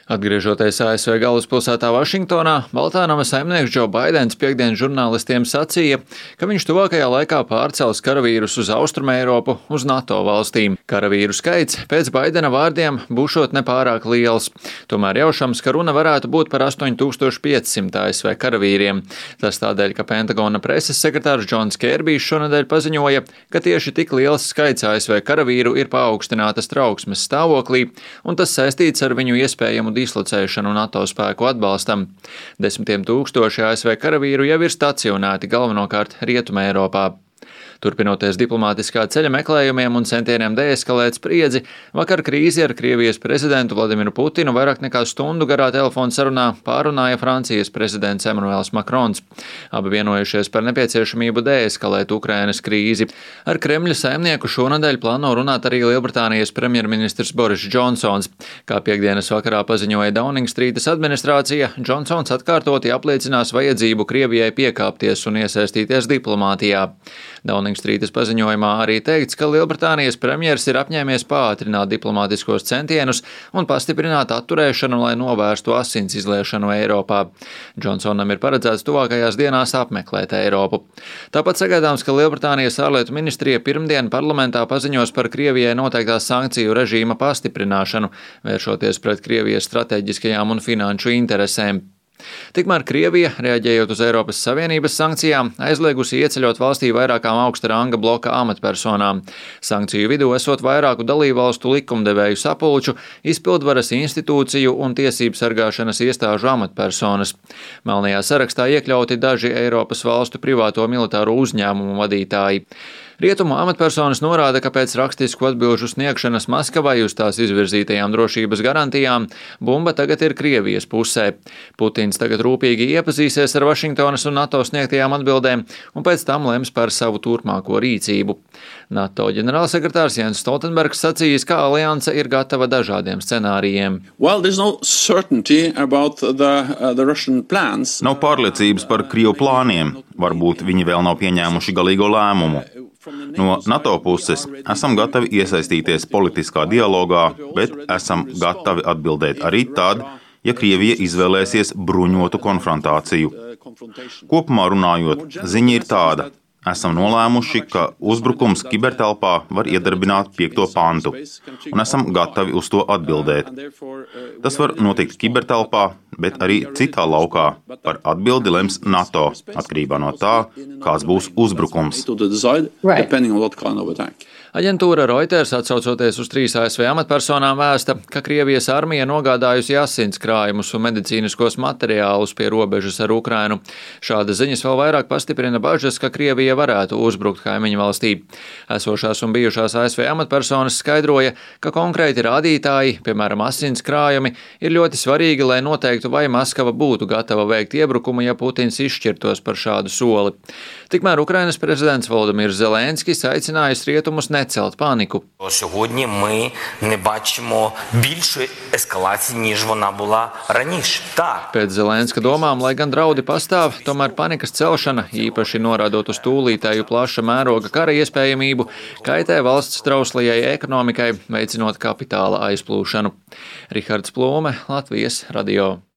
Atgriežoties ASV galvaspilsētā Vašingtonā, Baltā nama saimnieks Džo Baidens piektdien žurnālistiem sacīja, ka viņš tuvākajā laikā pārcels karavīrus uz Austrumeiropu, uz NATO valstīm. Karavīru skaits pēc Baidena vārdiem būšot nepārāk liels. Tomēr jaušams, ka runa varētu būt par 8500 ASV karavīriem. Tas tādēļ, ka Pentagona preses sekretārs Džons Kērbijs šonedēļ paziņoja, ka tieši tik liels skaits ASV karavīru ir paaugstinātas trauksmes stāvoklī, un tas saistīts ar viņu iespējamu dislocēšanu NATO spēku atbalstam. Desmitiem tūkstoši ASV karavīru jau ir stacionēti galvenokārt Rietumē Eiropā. Turpinoties diplomātiskā ceļa meklējumiem un centieniem deeskalēt spriedzi, vakar krīzi ar Krievijas prezidentu Vladimiru Putinu vairāk nekā stundu garā telefona sarunā pārunāja Francijas prezidents Emmanuels Macrons. Abi vienojušies par nepieciešamību deeskalēt Ukrainas krīzi. Ar Kremļa saimnieku šonadēļ plāno runāt arī Lielbritānijas premjerministrs Boris Džonsons. Kā piektdienas vakarā paziņoja Dauningstrītas administrācija, Džonsons atkārtoti apliecinās vajadzību Krievijai piekāpties un iesaistīties diplomātijā. Dauningstrītas paziņojumā arī teikts, ka Lielbritānijas premjers ir apņēmies pātrināt diplomātiskos centienus un pastiprināt atturēšanu, lai novērstu asins izliešanu Eiropā. Džonsonam ir paredzēts tuvākajās dienās apmeklēt Eiropu. Tāpat sagaidāms, ka Lielbritānijas ārlietu ministrija pirmdien parlamentā paziņos par Krievijai noteiktās sankciju režīma pastiprināšanu, vēršoties pret Krievijas strateģiskajām un finanšu interesēm. Tikmēr Krievija, reaģējot uz Eiropas Savienības sankcijām, aizliegusi ieceļot valstī vairākām augsta ranga bloka amatpersonām. Sankciju vidū esot vairāku dalībvalstu likumdevēju sapulču, izpildvaras institūciju un tiesību sargāšanas iestāžu amatpersonas. Melnajā sarakstā iekļauti daži Eiropas valstu privāto militāro uzņēmumu vadītāji. Rietumu amatpersonas norāda, ka pēc rakstisku atbilžu sniegšanas Maskavai uz tās izvirzītajām drošības garantijām bumba tagad ir Krievijas pusē. Putins tagad rūpīgi iepazīsies ar Vašingtonas un NATO sniegtajām atbildēm un pēc tam lems par savu turpmāko rīcību. NATO ģenerālsekretārs Jens Stoltenbergs sacījis, ka alianse ir gatava dažādiem scenārijiem. Nav pārliecības par Krievu plāniem. Varbūt viņi vēl nav pieņēmuši galīgo lēmumu. No NATO puses esam gatavi iesaistīties politiskā dialogā, bet esam gatavi atbildēt arī tad, ja Krievija izvēlēsies bruņotu konfrontāciju. Kopumā runājot, ziņa ir tāda. Esam nolēmuši, ka uzbrukums kibertelpā var iedarbināt 5. pantu, un esam gatavi uz to atbildēt. Tas var notikt kibertelpā, bet arī citā laukā. Par atbildi lems NATO, atkarībā no tā, kāds būs uzbrukums. Aģentūra Reuters, atsaucoties uz 3 ASV amatpersonām, vēsta, ka Krievijas armija nogādājusi asins krājumus un medicīniskos materiālus pie robežas ar Ukrainu. Šādas ziņas vēl vairāk pastiprina bažas, ka Krievija varētu uzbrukt kaimiņu valstī. Esošās un bijušās ASV amatpersonas skaidroja, ka konkrēti rādītāji, piemēram, asins krājumi, ir ļoti svarīgi, lai noteiktu, vai Maskava būtu gatava veikt iebrukumu, ja Putins izšķirtos par šādu soli. Tikmēr Ukrainas prezidents Volodimirs Zelenskis aicinājis rietumus necelt paniku. Сьогодні ми не бачимо більшої ескалації, ніж вона була раніше. Так. Pēc Zelenska domām, lai gan draudi pastāv, tomēr panikas celšana, īpaši norādot uz tūlītēju plaša mēroga kara iespējamību, kaitē valsts trauslajai ekonomikai, veicinot kapitāla aizplūšanu. Rihards Plūme, Latvijas radio.